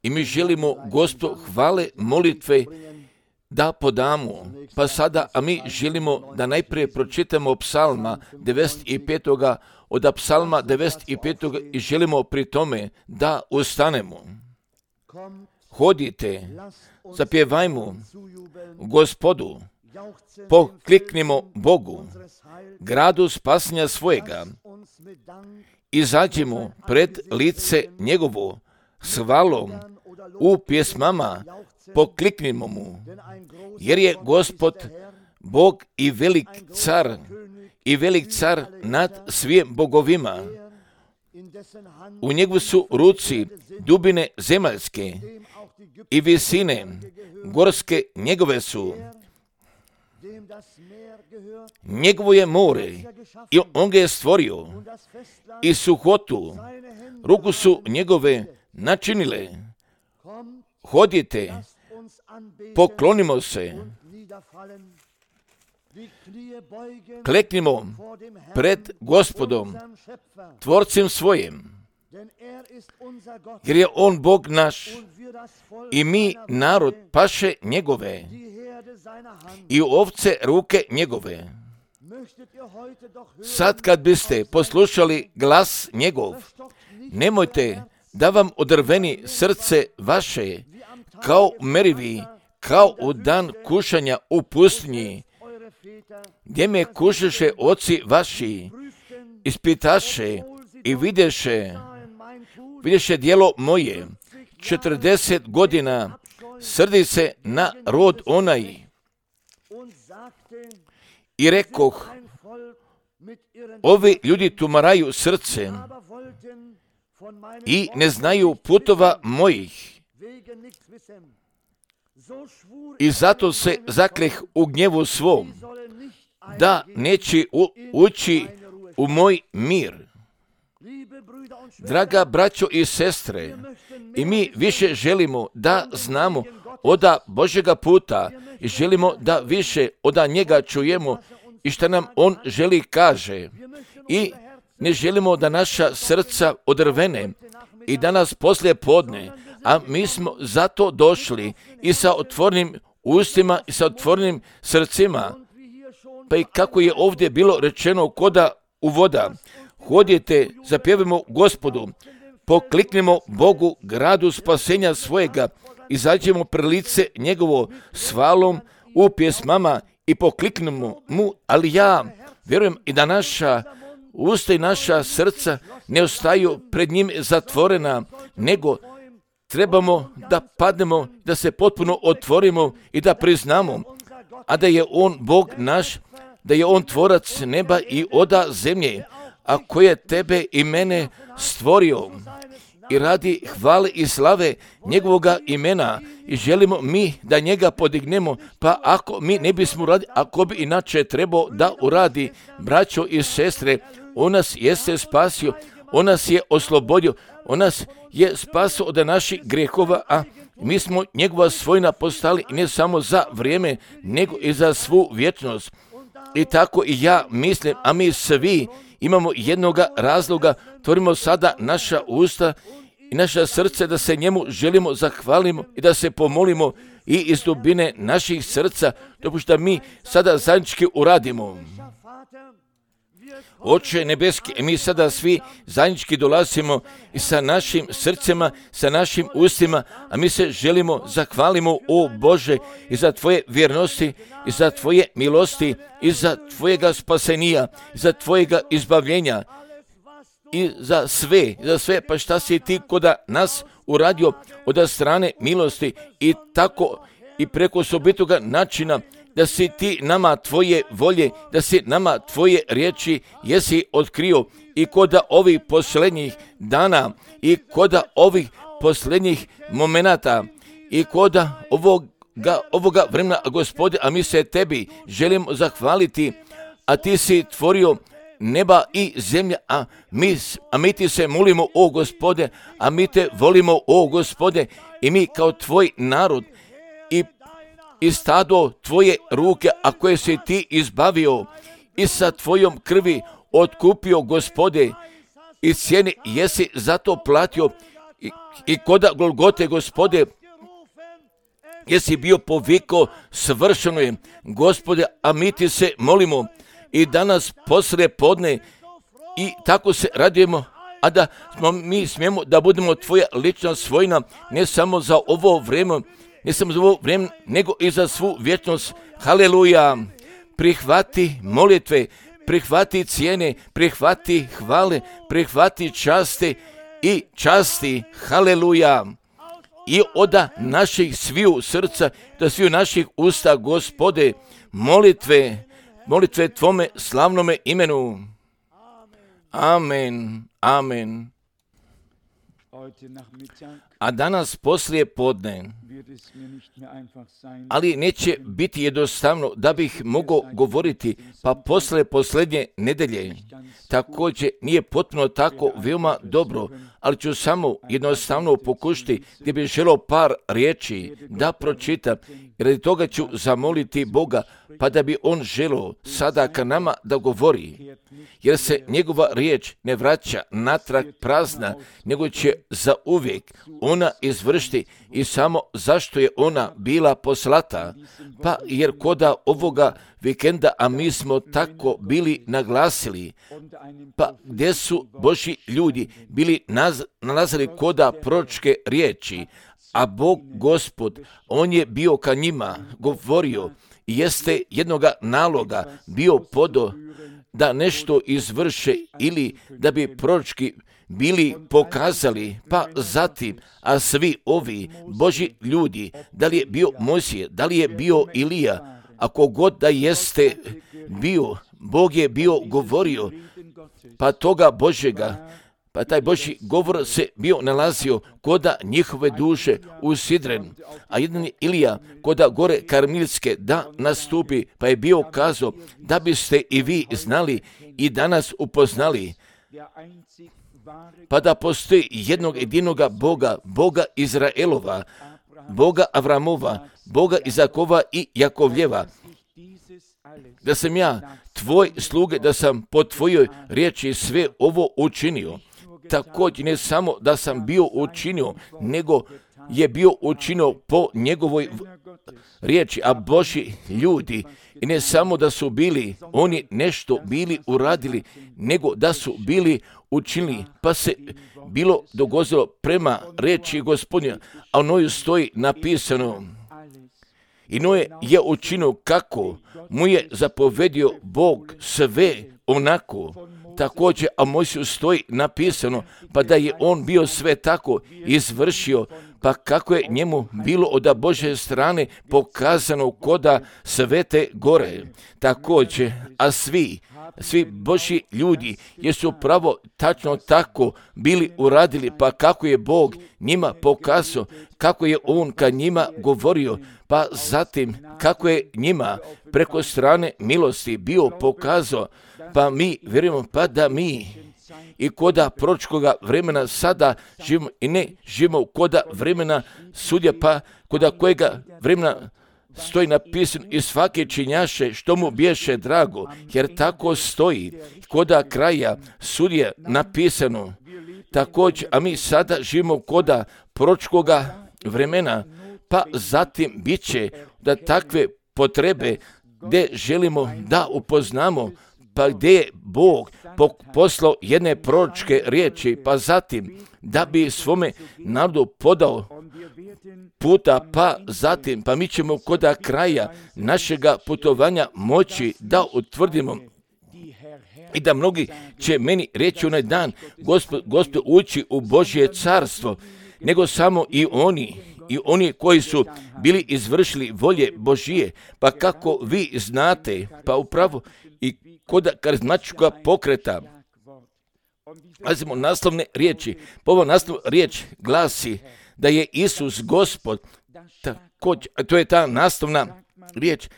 I mi želimo, Gospod, hvale, molitve da podamo. Pa sada, a mi želimo da najprije pročitamo psalma 95. od psalma 95. i želimo pri tome da ustanemo. Hodite, zapjevajmo Gospodu, pokliknimo Bogu, gradu spasenja svojega, izađimo pred lice njegovo s hvalom, u pjesmama pokliknimo mu, jer je Gospod Bog i velik car nad svim bogovima. U njegu su ruci dubine zemaljske i visine gorske njegove su. Njegovo je more i on ga je stvorio i suhotu, ruku su njegove načinile. Hodite, poklonimo se, kleknimo pred Gospodom, tvorcem svojim, jer je on Bog naš i mi narod paše njegove i ovce ruke njegove. Sad kad biste poslušali glas njegov, nemojte da vam odrveni srce vaše, kao merivi, kao u dan kušanja u pustinji, gdje me kušaše oci vaši, ispitaše i vidješe djelo moje, 40 godina srdi se na rod onaj. I rekoh, ovi ljudi tumaraju srce i ne znaju putova mojih. I zato se zakleh u gnjevu svom, da neće ući u moj mir. Draga braćo i sestre, i mi više želimo da znamo oda Božjega puta i želimo da više oda njega čujemo i što nam on želi kaže. I ne želimo da naša srca odrvene i da nas poslije podne, a mi smo zato došli i sa otvorenim ustima i sa otvorenim srcima. Pa i kako je ovdje bilo rečeno koda u voda, hodite, zapjevimo Gospodu, pokliknimo Bogu, gradu spasenja svojega, izađemo pred lice njegovo s hvalom u pjesmama i pokliknemo mu, ali ja vjerujem i da naša usta i naša srca ne ostaju pred njim zatvorena, nego trebamo da padnemo, da se potpuno otvorimo i da priznamo, a da je on Bog naš, da je on tvorac neba i oda zemlje, a koji je tebe i mene stvorio i radi hvale i slave njegovoga imena i želimo mi da njega podignemo, pa ako mi ne bismo uradili, ako bi inače trebao da uradi, braćo i sestre, on nas jeste spasio, on nas je oslobodio, on nas je spasio od naših grehova, a mi smo njegova svojina postali ne samo za vrijeme, nego i za svu vječnost. I tako i ja mislim, a mi svi imamo jednoga razloga, tvorimo sada naša usta i naša srce da se njemu želimo zahvalimo i da se pomolimo i iz dubine naših srca, dopušta mi sada zajednički uradimo. Oče nebeski, mi sada svi zajednički dolazimo i sa našim srcima, sa našim ustima, a mi se želimo zahvalimo, o Bože, i za Tvoje vjernosti, i za Tvoje milosti, i za Tvojega spasenija, i za Tvojega izbavljenja, i za sve, pa šta si Ti koda nas uradio od strane milosti i tako i preko osobitoga načina, da si Ti nama Tvoje volje, da si nama Tvoje riječi jesi otkrio i koda ovih posljednjih dana i koda ovih posljednjih momenata i koda ovoga vremena, Gospode, a mi se Tebi želimo zahvaliti, a Ti si tvorio neba i zemlja, a mi Ti se molimo, o Gospode, a mi Te volimo, o Gospode, i mi kao Tvoj narod i stado Tvoje ruke, a koje si Ti izbavio i sa Tvojom krvi otkupio, Gospode, i cijeni jesi zato platio i koda Golgote, Gospode, jesi bio povikao, svršeno je, Gospode, a mi ti se molimo i danas poslije podne i tako se radujemo, a da mi smijemo da budemo tvoja lična svojina, ne samo za ovo vrijeme, nego i za svu vječnost. Haleluja! Prihvati molitve, prihvati cijene, prihvati hvale, prihvati časti, haleluja! I oda naših sviju srca, da sviju naših usta, Gospode, molitve tvome slavnome imenu. Amen, amen. A danas poslije podne, ali neće biti jednostavno da bih mogao govoriti, pa poslije posljednje nedelje. Također nije potpuno tako veoma dobro, ali ću samo jednostavno pokušati gdje bih želio par riječi da pročitam, i radi toga ću zamoliti Boga, pa da bi On želio sada ka nama da govori, jer se njegova riječ ne vraća natrag prazna, nego će zauvijek ona izvršiti i samo zašto je ona bila poslata. Pa jer koda ovoga vikenda, a mi smo tako bili naglasili, pa gdje su Božji ljudi bili nalazili koda proročke riječi, a Bog Gospod, On je bio ka njima govorio i jeste jednoga naloga bio podo da nešto izvrše ili da bi proročki bili pokazali, pa zatim, a svi ovi Božji ljudi, da li je bio Mojsije, da li je bio Ilija, ako god da jeste bio, Bog je bio govorio, pa toga Božjega, pa taj Božji govor se bio nalazio koda njihove duše usidren, a jedan je Ilija koda gore Karmilske da nastupi, pa je bio kazao da biste i vi znali i danas upoznali, pa da postoji jednog jedinoga Boga, Boga Izraelova, Boga Avramova, Boga Izakova i Jakovljeva, da sam ja, tvoj sluge, da sam po tvojoj riječi sve ovo učinio. Također ne samo da sam bio učinio, nego je bio učinio po njegovoj riječi, a Božji ljudi, i ne samo da su bili, oni nešto bili uradili, nego da su bili učinili, pa se bilo dogodilo prema riječi Gospodnja, a u njoj stoji napisano, i Noe je učinio kako mu je zapovedio Bog sve onako. Također, a Mojsiju stoji napisano, pa da je on bio sve tako izvršio, pa kako je njemu bilo od Božje strane pokazano koda Svete gore. Također, a svi Božji ljudi jesu pravo tačno tako bili uradili, pa kako je Bog njima pokazao, kako je On ka njima govorio, pa zatim kako je njima preko strane milosti bio pokazao, pa mi vjerujemo, pa da mi i koda proročkoga vremena sada živimo i ne živimo koda vremena sudja, pa koda kojega vremena stoji napisano i svake činjaše što mu biješe drago, jer tako stoji koda kraja sudje napisano. Također, a mi sada živimo koda proročkoga vremena, pa zatim bit će da takve potrebe gdje želimo da upoznamo, pa gdje je Bog poslao jedne proročke riječi, pa zatim da bi svome narodu podao puta, pa zatim, pa mi ćemo koda kraja našega putovanja moći da utvrdimo i da mnogi će meni reći onaj dan, Gospod ući u Božje carstvo, nego samo i oni koji su bili izvršili volje Božije, pa kako vi znate, pa upravo i koda karizmatičkoga pokreta. Pazimo naslovne riječi. Ovo naslov riječ glasi da je Isus Gospod. Također, to je ta naslovna riječ.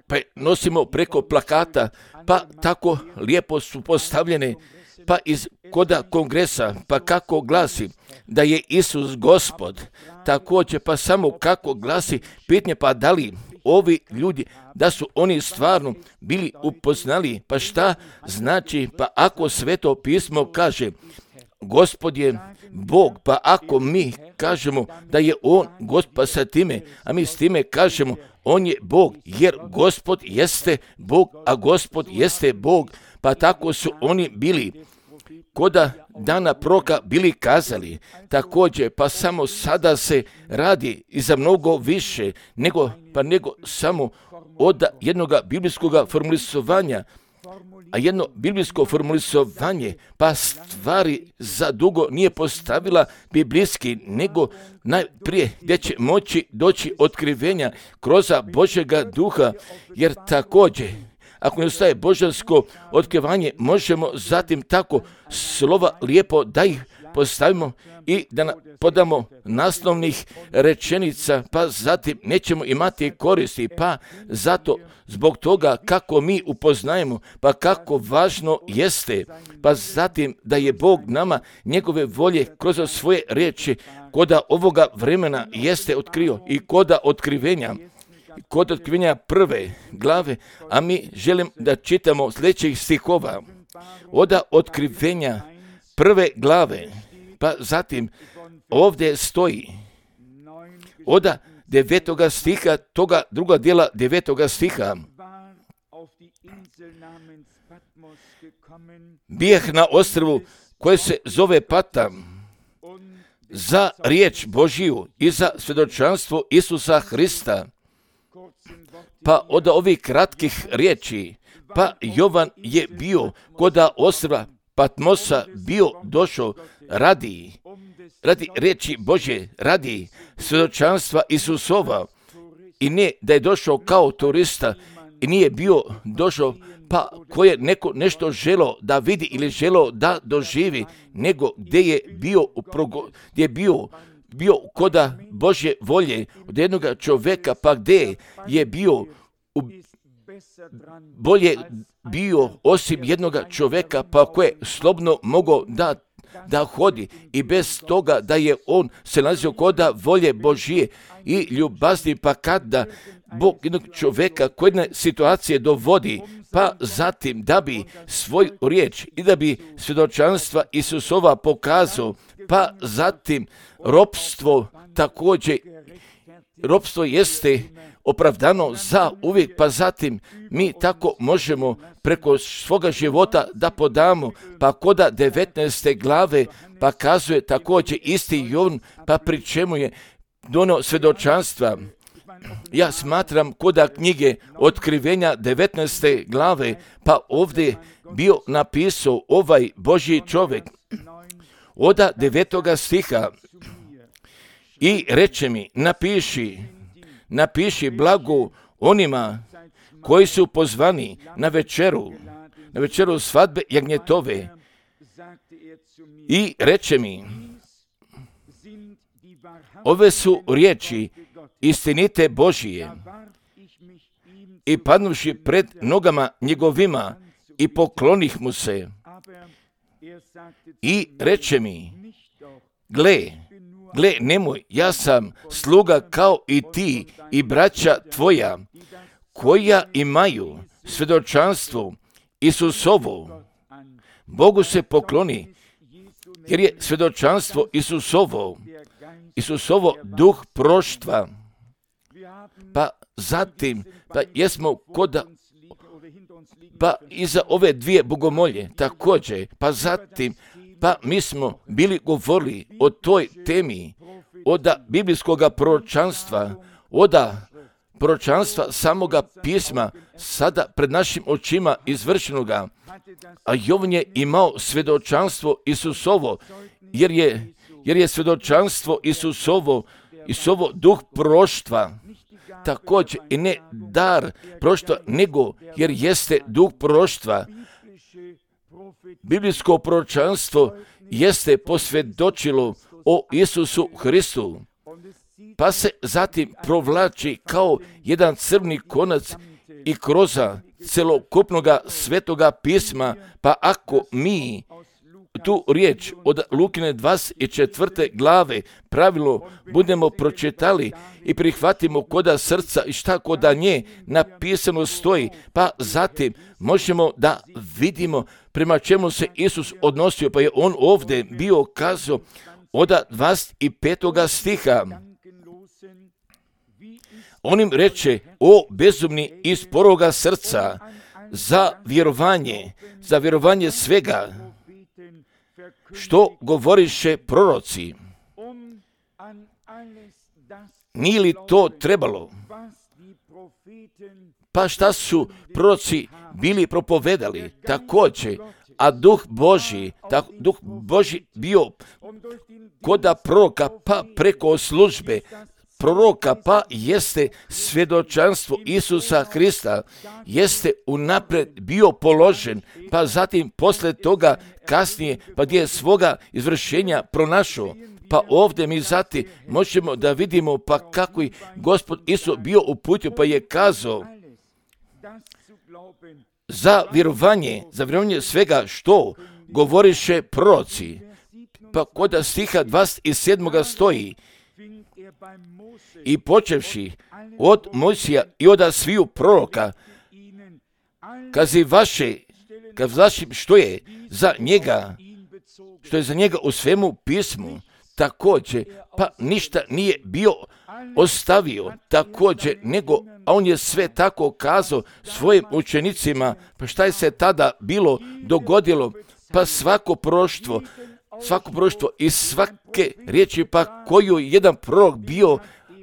Pa nosimo preko plakata, pa tako lijepo su postavljene, pa iz koda kongresa, pa kako glasi da je Isus Gospod. Također, pa samo kako glasi pitanje, pa da li ovi ljudi, da su oni stvarno bili upoznali, pa šta znači, pa ako Sveto pismo kaže, Gospod je Bog, pa ako mi kažemo da je On Gospod, pa sa time, a mi s time kažemo On je Bog, jer Gospod jeste Bog, a Gospod jeste Bog, pa tako su oni bili koda dana proroka bili kazali. Također, pa samo sada se radi i za mnogo više nego samo od jednog biblijskog formulisovanja, a jedno biblijsko formulisovanje, pa stvari za dugo nije postavila biblijski, nego najprije gdje će moći doći otkrivenja kroz Božjega duha, jer također, ako ne ostaje božansko otkrivanje, možemo zatim tako slova lijepo da ih postavimo i da podamo naslovnih rečenica, pa zatim nećemo imati koristi, pa zato zbog toga kako mi upoznajemo, pa kako važno jeste, pa zatim da je Bog nama njegove volje kroz svoje riječi koda ovoga vremena jeste otkrio i koda otkrivenja prve glave, a mi želim da čitamo sljedećih stihova od otkrivenja prve glave, pa zatim ovdje stoji od 9. stiha, toga druga dijela 9. stiha. Bijeh na ostrvu koje se zove Pata za riječ Božiju i za svjedočanstvo Isusa Hrista. Pa od ovih kratkih riječi, pa Jovan je bio koda ostrva Patmosa bio došao radi riječi Božje, radi svjedočanstva Isusova, i ne da je došao kao turista i nije bio došao pa ko je neko nešto želo da vidi ili želo da doživi, nego gdje je bio koda Božje volje od jednog čovjeka, pa gdje je bio bolje bio osim jednog čovjeka, pa koje slobodno mogao da hodi i bez toga da je on se nalazio koda volje Božije i ljubazni, pa kada Bog jednog čovjeka koje jedne situacije dovodi, pa zatim da bi svoju riječ i da bi svjedočanstva Isusova pokazao, pa zatim ropstvo također, ropstvo jeste opravdano za uvijek, pa zatim mi tako možemo preko svoga života da podamo, pa koda 19. glave pa kazuje također isti Jovan, pa pri čemu je donio svjedočanstva. Ja smatram koda knjige Otkrivenja 19. glave, pa ovdje bio napisao ovaj Božji čovjek od 9. stiha i reče mi, napiši blago onima koji su pozvani na večeru svadbe jagnjetove, i reče mi, ove su riječi istinite Božije. I padnuši pred nogama njegovima i poklonih mu se i reče mi, gle, nemoj, ja sam sluga kao i ti i braća tvoja, koja imaju svjedočanstvo Isusovo. Bogu se pokloni, jer je svjedočanstvo Isusovo duh proštva. Pa zatim, pa jesmo koda, pa iza ove dvije bogomolje također, pa zatim, pa mi smo bili govorili o toj temi, od biblijskog proročanstva, od proročanstva samoga pisma, sada pred našim očima izvršenoga, a Jovan je imao svjedočanstvo Isusovo, jer je svjedočanstvo Isusovo duh proštva, također i ne dar proštva, nego jer jeste duh proštva. Biblijsko proročanstvo jeste posvjedočilo o Isusu Hristu, pa se zatim provlači kao jedan crni konac i kroz celokupnoga svetoga pisma, pa ako mi tu riječ od Lukine 24. glave pravilno budemo pročitali i prihvatimo koda srca i šta koda nje napisano stoji, pa zatim možemo da vidimo prema čemu se Isus odnosio, pa je on ovdje bio kazao od 25. stiha. On im reče, o bezumni i sporoga srca, za vjerovanje svega, što govoriše proroci. Nije li to trebalo? Pa šta su proroci bili propovedali? Također, a Duh Božji bio koda proroka, pa preko službe proroka, pa jeste svjedočanstvo Isusa Krista, jeste unaprijed bio položen, pa zatim poslije toga kasnije, pa gdje je svoga izvršenja pronašao. Pa ovdje mi zatim možemo da vidimo pa kako je Gospod Isus bio uputio, pa je kazao za vjerovanje svega što govoriše proroci. Pa kod stiha 27. stoji, i počevši od Mojsija i od sviju proroka, kazi vašim što je za njega u svemu pismu, također, pa ništa nije bio ostavio također, a on je sve tako kazao svojim učenicima. Pa šta je se tada bilo dogodilo? Pa svako proroštvo i svake riječi pa koju jedan prorok bio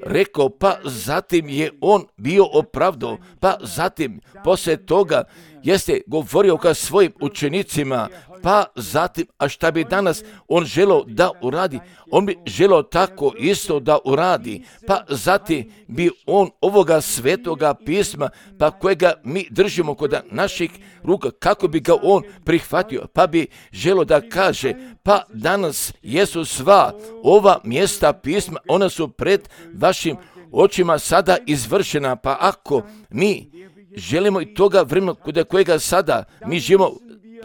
rekao, pa zatim je on bio opravdao, pa zatim poslije toga jeste govorio ka svojim učenicima, pa zatim, a šta bi danas on želio da uradi? On bi želio tako isto da uradi, pa zatim bi on ovoga svetoga pisma, pa kojega mi držimo kod naših ruka, kako bi ga on prihvatio, pa bi želio da kaže, pa danas jesu sva ova mjesta pisma, ona su pred vašim očima sada izvršena, pa ako mi želimo i toga vremena kod kojega sada mi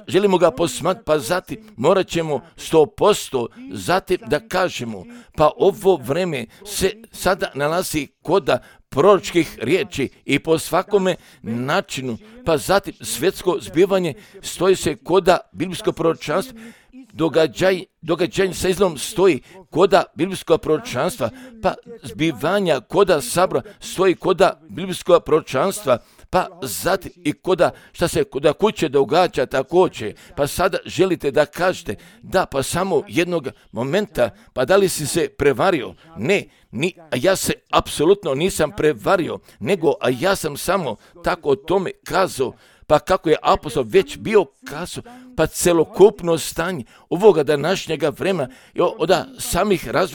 želimo ga posmatrati, pa zatim morat ćemo 100% zatim da kažemo, pa ovo vreme se sada nalazi kod proročkih riječi i po svakome načinu, pa zatim svjetsko zbivanje stoji se kod biblijsko proročanstvo, događaj sa izlom stoji koda biblijskog proročanstva, pa zbivanja koda sabora stoji koda biblijskog proročanstva, pa zatim i šta se koda kuće događa također, pa sada želite da kažete, da pa samo jednog momenta, pa da li si se prevario? Ne, a ja se apsolutno nisam prevario, a ja sam samo tako o tome kazao, pa kako je apostol već bio kazao, pa celokupno stanje ovoga današnjega vremena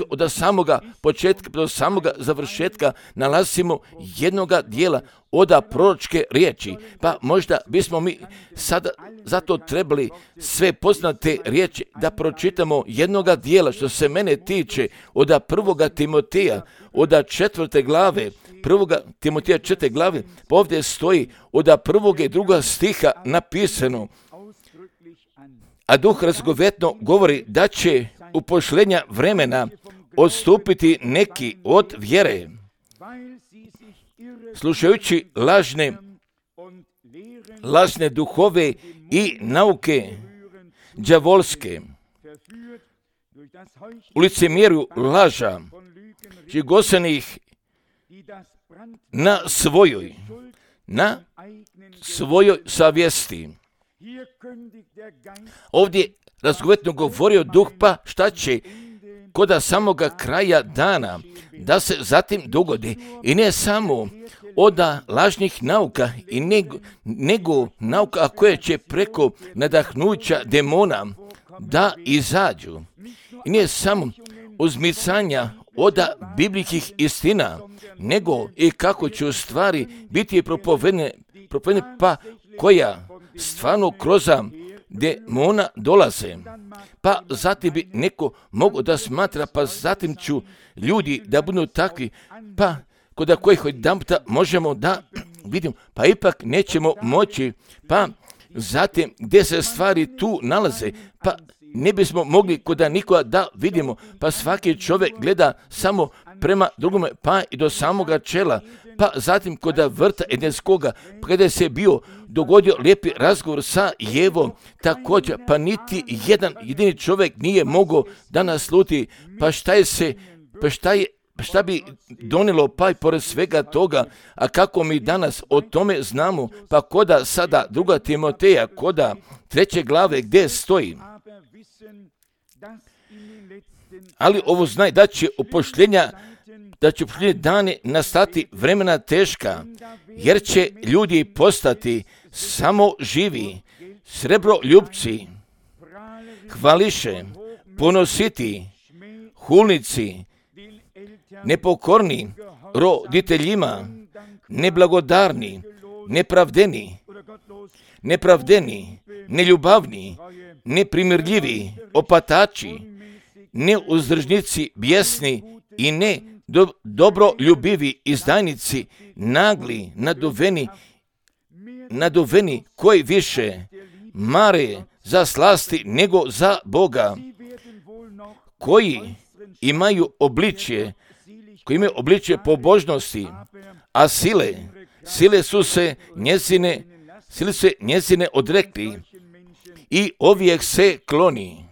od samoga početka do samoga završetka nalazimo jednoga dijela od proročke riječi, pa možda bismo mi sada zato trebali sve poznate riječi da pročitamo jednoga dijela što se mene tiče od 1. Timoteja, od 4. glave, 1. Timoteja 4. glave, pa ovdje stoji od 1. i 2. stiha napisano, a Duh razgovetno govori da će u pošlenja vremena odstupiti neki od vjere, slušajući lažne duhove i nauke đavolske, u licemjerju laža, žigosanih na svojoj savjesti. Ovdje razgovetno govorio Duh, pa šta će koda samoga kraja dana da se zatim dogodi, i ne samo od lažnih nauka, nego nauka koje će preko nadahnuća demona da izađu, i ne samo uzmicanja od biblijskih istina, nego i kako će u stvari biti propovedene, pa koja stvarno kroz demona dolaze. Pa zatim bi neko mogao da smatra, pa zatim ću ljudi da budu takvi, pa kod kojih jedanputa možemo da vidimo, pa ipak nećemo moći, pa zatim gdje se stvari tu nalaze, pa ne bismo mogli koda nikoga da vidimo, pa svaki čovjek gleda samo prema drugome, pa i do samoga čela, pa zatim koda vrta Edenskoga, pa kada se bio dogodio lijepi razgovor sa Jevom, također, pa niti jedan jedini čovjek nije mogao da nasluti, šta bi donijelo pa i pored svega toga, a kako mi danas o tome znamo, pa koda sada 2. Timoteja, koda 3. glave gdje stoji. Ali ovo znaj da će upošljenja dani nastati vremena teška, jer će ljudi postati samo živi, srebroljupci, hvališe, ponositi, hulnici, nepokorni, roditeljima, neblagodarni, nepravdeni, neljubavni, neprimirljivi, opatači, neuzdržnici, bijesni i dobroljubivi, izdajnici, nagli, naduveni, koji više mare za slasti nego za Boga, koji imaju obličje pobožnosti, a sile su se njezine odrekli i ovijek se kloni.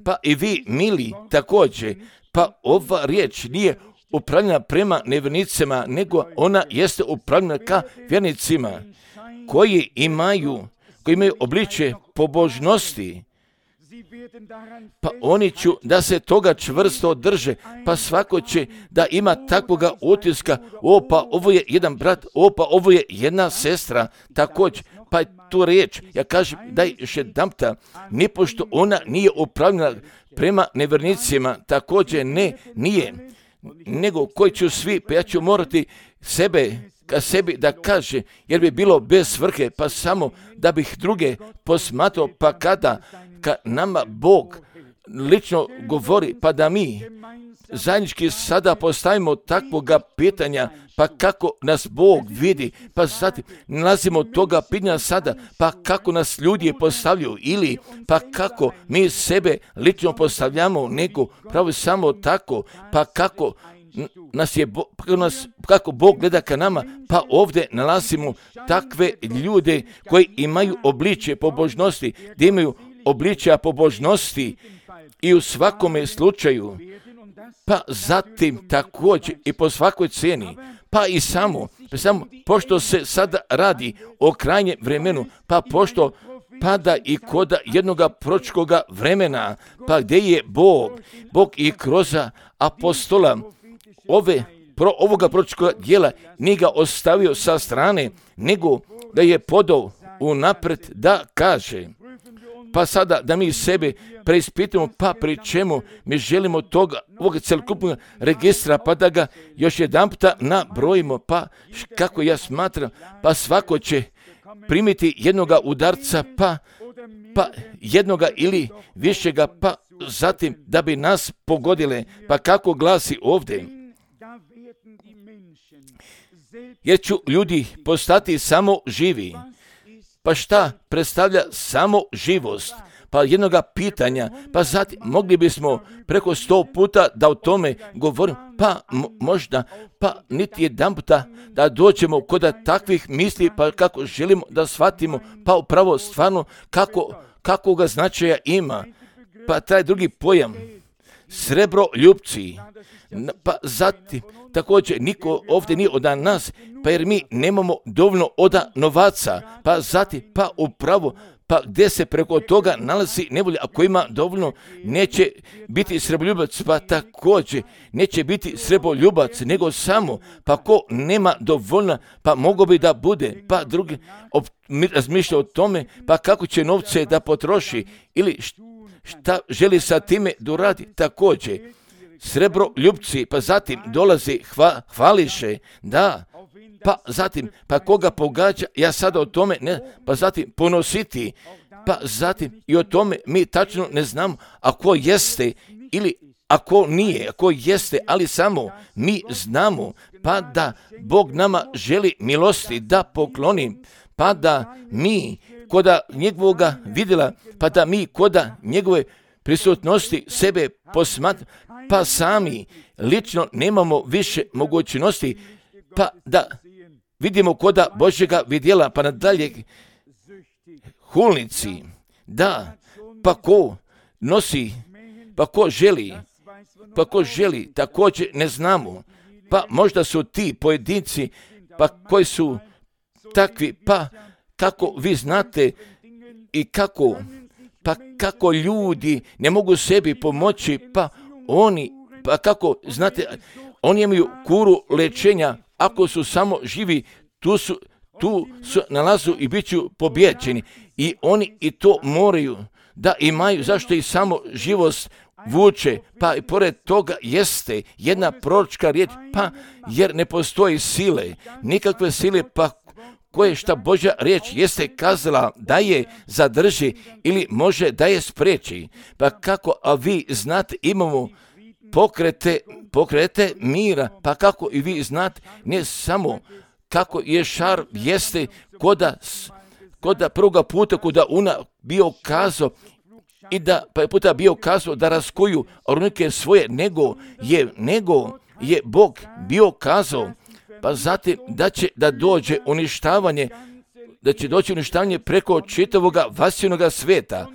Pa i vi, mili, također, pa ova riječ nije upravljena prema nevjernicima, nego ona jeste upravljena ka vjernicima koji imaju obličje pobožnosti. Pa oni ću da se toga čvrsto drže, pa svako će da ima takvoga utiska, pa ovo je jedan brat, pa ovo je jedna sestra, također, pa tu riječ, ja kažem, daj još jedanputa, nipošto ona nije upravljena prema nevjernicima, također nije, nego koji ću svi, pa ja ću morati ka sebi da kaže, jer bi bilo bez svrhe, pa samo da bih druge posmatrao, pa kada nama Bog lično govori, pa da mi zajednički sada postavimo takvoga pitanja, pa kako nas Bog vidi, pa zatim nalazimo toga pitanja sada, pa kako nas ljudi postavljaju, ili pa kako mi sebe lično postavljamo, nego pravo samo tako, pa kako kako Bog gleda ka nama, pa ovdje nalazimo takve ljude koji imaju obličje pobožnosti, gdje imaju obličja pobožnosti i u svakome slučaju, pa zatim također i po svakoj cijeni, pa i samo pošto se sada radi o krajnjem vremenu, pa pošto pada i koda jednoga proročkoga vremena, pa gdje je Bog i kroz apostola ovoga proročkoga djela nije ga ostavio sa strane, nego da je podao unaprijed da kaže. Pa sada da mi sebe preispitamo, pa pri čemu mi želimo ovog celokupnog registra, pa da ga još jedanputa nabrojimo, pa kako ja smatram, pa svako će primiti jednoga udarca, pa jednoga ili višega, pa zatim da bi nas pogodile, pa kako glasi ovdje. Jer ću ljudi postati samo živi. Pa šta predstavlja samo živost? Pa jednoga pitanja, pa zatim mogli bismo preko 100 puta da o tome govorimo, pa možda, pa niti jedan puta da dođemo kod takvih misli, pa kako želimo da shvatimo, pa upravo stvarno kako ga značaja ima. Pa taj drugi pojam, srebroljupci, pa zatim također niko ovdje nije od nas, pa jer mi nemamo dovoljno od novaca, pa zatim, pa upravo, pa gdje se preko toga nalazi nevolja, ako ima dovoljno, neće biti srebroljubac, pa također neće biti srebroljubac, nego samo, pa ko nema dovoljno, pa mogo bi da bude, pa drugi razmišlja o tome, pa kako će novce da potroši, ili šta želi sa time da uradi, također. Srebroljupci, pa zatim dolazi hvališe, da, pa zatim, pa koga pogađa, ja sada o tome ne, pa zatim ponositi, pa zatim i o tome mi tačno ne znamo, ako jeste ili ako nije, ako jeste, ali samo mi znamo, pa da Bog nama želi milosti da pokloni, pa da mi koda njegovoga vidjela, pa da mi koda njegove prisutnosti sebe posmatramo, pa sami lično nemamo više mogućnosti, pa da vidimo koda Božjega vidjela, pa nadalje hulnici, da, pa ko nosi, pa ko želi, također ne znamo, pa možda su ti pojedinci, pa koji su takvi, pa kako vi znate i kako ljudi ne mogu sebi pomoći, pa kako znate, oni imaju kuru lečenja, ako su samo živi, tu su nalazu i bit ću pobjeđeni. I oni i to moraju da imaju, zašto i samo živost vuče, pa i pored toga jeste jedna proročka riječ, pa jer ne postoji sile, nikakve sile, pa koje šta Božja riječ jeste kazala da je zadrži ili može da je spriječi. Pa kako, a vi znate, imamo pokrete mira, pa kako i vi znate, ne samo kako je šar jeste koda prvoga puta koda ona bio kazao i da pa je puta bio kazao da raskuju ornike svoje, nego je Bog bio kazao, pa zatim da dođe uništavanje preko čitavoga vasjenoga sveta,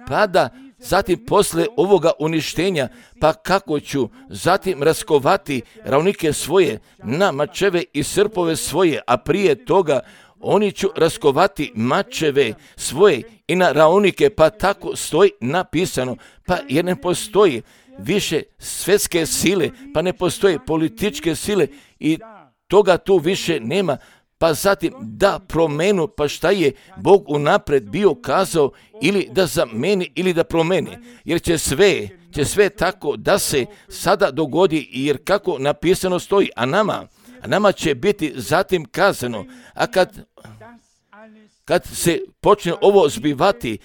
pa da zatim posle ovoga uništenja, pa kako ću zatim raskovati ravnike svoje na mačeve i srpove svoje, a prije toga oni ću raskovati mačeve svoje i na ravnike, pa tako stoji napisano, pa jer ne postoji više svjetske sile, pa ne postoji političke sile i toga tu više nema, pa zatim da promenu, pa šta je Bog unapred bio kazao ili da zameni ili da promeni, jer će sve tako da se sada dogodi, jer kako napisano stoji, a nama će biti zatim kazano, a kad se počne ovo zbivati,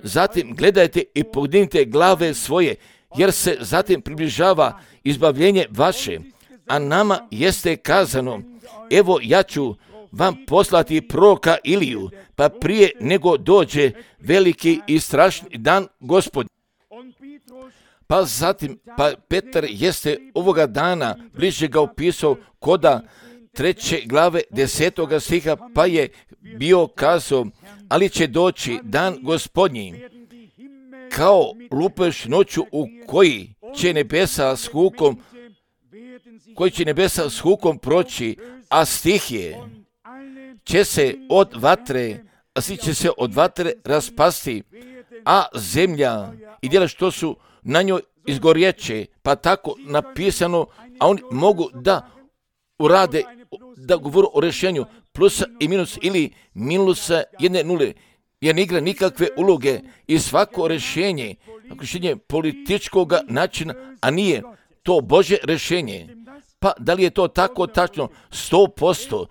zatim gledajte i podignite glave svoje, jer se zatim približava izbavljenje vaše, a nama jeste kazano, evo ja ću vam poslati proroka Iliju, pa prije nego dođe veliki i strašni dan Gospod. Pa zatim, Petar jeste ovoga dana bliže ga opisao koda 3. glave 10. stiha, pa je bio kazao, ali će doći dan Gospodnji, kao lupež noću u koji će nebesa s hukom proći, a stihije će se od vatre raspasti, a zemlja i djela što su na njoj izgorjeće, pa tako napisano, a oni mogu da urade, da govoru o rješenju plusa i minus ili minusa jedne nule, jer ne igra nikakve uloge i svako rješenje političkog načina, a nije to Božje rješenje. Pa da li je to tako tačno? 100%,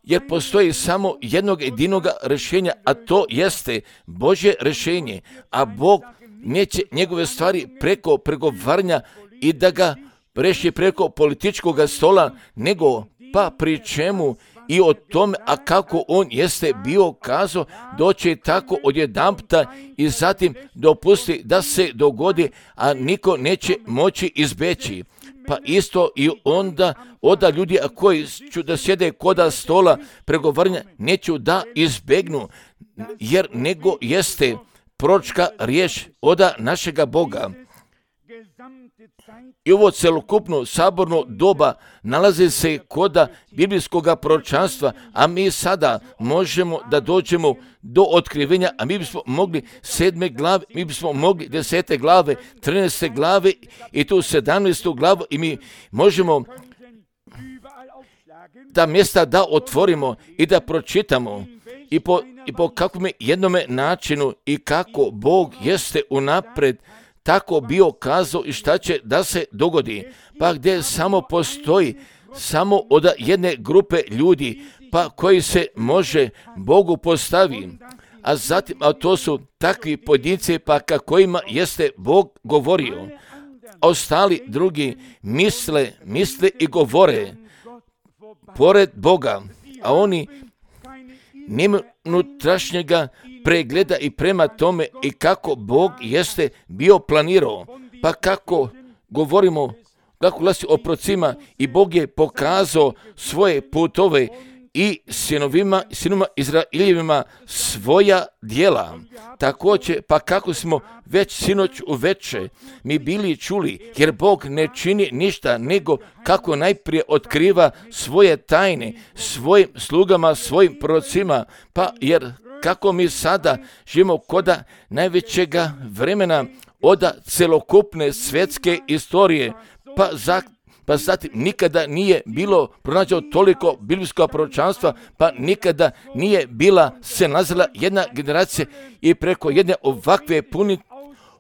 jer postoji samo jednog jedinog rješenja, a to jeste Božje rješenje, a Bog neće njegove stvari preko pregovaranja i da ga reši preko političkog stola, nego pa pri čemu i o tome, a kako on jeste bio kazao, doći tako odjedanputa i zatim dopusti da se dogodi, a niko neće moći izbeći. Pa isto i onda ljudi koji ću da sjede koda stola pregovaranja neću da izbegnu, jer nego jeste proročka riječ oda našega Boga. I ovo celokupno saborno doba nalazi se koda biblijskog proročanstva, a mi sada možemo da dođemo do otkrivenja, a mi bismo mogli 7. glave, mi bismo mogli 10. glave, 13. glave i tu 17. glavu i mi možemo ta mjesta da otvorimo i da pročitamo i po kakvom jednome načinu i kako Bog jeste unapred tako bio kazao i šta će da se dogodi, pa gdje samo postoji samo od jedne grupe ljudi, pa koji se može Bogu postavi, a zatim, a to su takvi pojedinci, pa ka kojima jeste Bog govorio, a ostali drugi misle i govore pored Boga, a oni nema unutrašnjega pregleda i prema tome i kako Bog jeste bio planirao. Pa kako govorimo, kako glasi o procima i Bog je pokazao svoje putove i sinovima Izraeljevima svoja djela. Također, pa kako smo već sinoć uveče mi bili čuli, jer Bog ne čini ništa nego kako najprije otkriva svoje tajne svojim slugama, svojim prorocima, pa jer kako mi sada živimo koda najvećega vremena od celokupne svjetske istorije, pa zatim nikada nije bilo pronađeno toliko biblijskog proročanstva, pa nikada nije bila se nazvala jedna generacija i preko jedne ovakve puni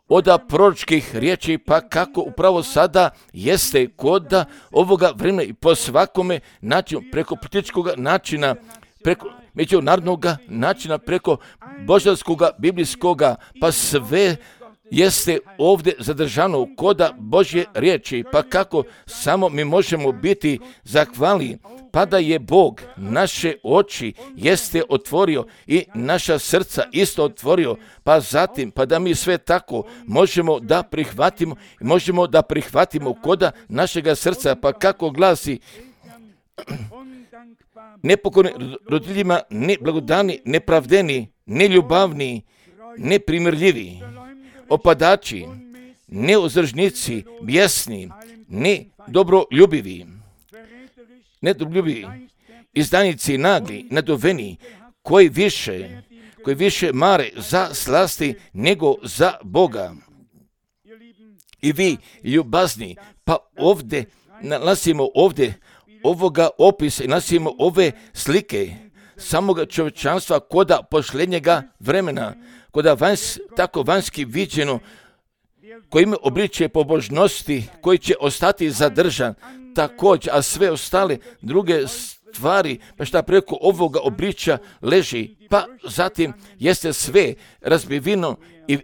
od proročkih riječi, pa kako upravo sada jeste kod ovoga vremena i po svakome načinu, preko političkog načina, preko međunarodnog načina, preko božanskog, biblijskog, pa sve jeste ovdje zadržano koda Božje riječi, pa kako samo mi možemo biti zahvalni, pa da je Bog naše oči jeste otvorio i naša srca isto otvorio, pa zatim, pa da mi sve tako možemo da prihvatimo koda našega srca, pa kako glasi nepokorni roditeljima, neblagodani, nepravdeni, neljubavni, neprimirljivi, opadači, neuzdržnici, bijesni, nedobroljubili, izdajnici, nagli, naduveni, koji više mare za slasti nego za Boga. I vi, ljubazni, pa ovdje nalazimo ovoga opisa i nalazimo ove slike samoga čovječanstva koda posljednjega vremena, koda tako vanjski viđeno, koji ima obličje pobožnosti, koji će ostati zadržan također, a sve ostale druge stvari, pa šta preko ovoga obličja leži, pa zatim jeste sve razbiveno i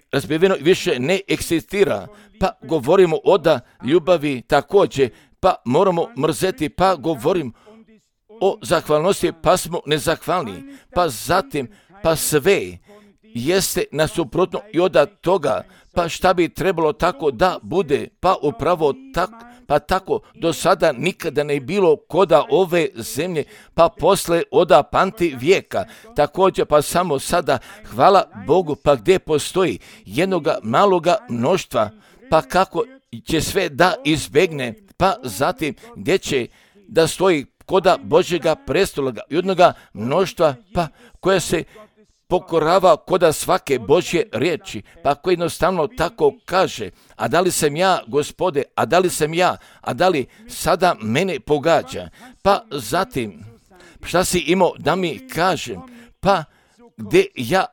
više ne eksistira, pa govorimo o ljubavi također, pa moramo mrzeti, pa govorim o zahvalnosti, pa smo nezahvalni, pa zatim, pa sve jeste nasuprotno i od toga, pa šta bi trebalo tako da bude, pa upravo tako do sada nikada ne bilo koda ove zemlje, pa posle od pamti vijeka. Također pa samo sada, hvala Bogu, pa gdje postoji jednoga maloga mnoštva, pa kako će sve da izbegne, pa zatim gdje će da stoji koda Božjega prestola i jednoga mnoštva, pa koja se pokorava koda svake Božje riječi, pa koji jednostavno tako kaže, a da li sam ja, Gospode, a da li sam ja, a da li sada mene pogađa, pa zatim, šta si imao da mi kažem, pa gdje ja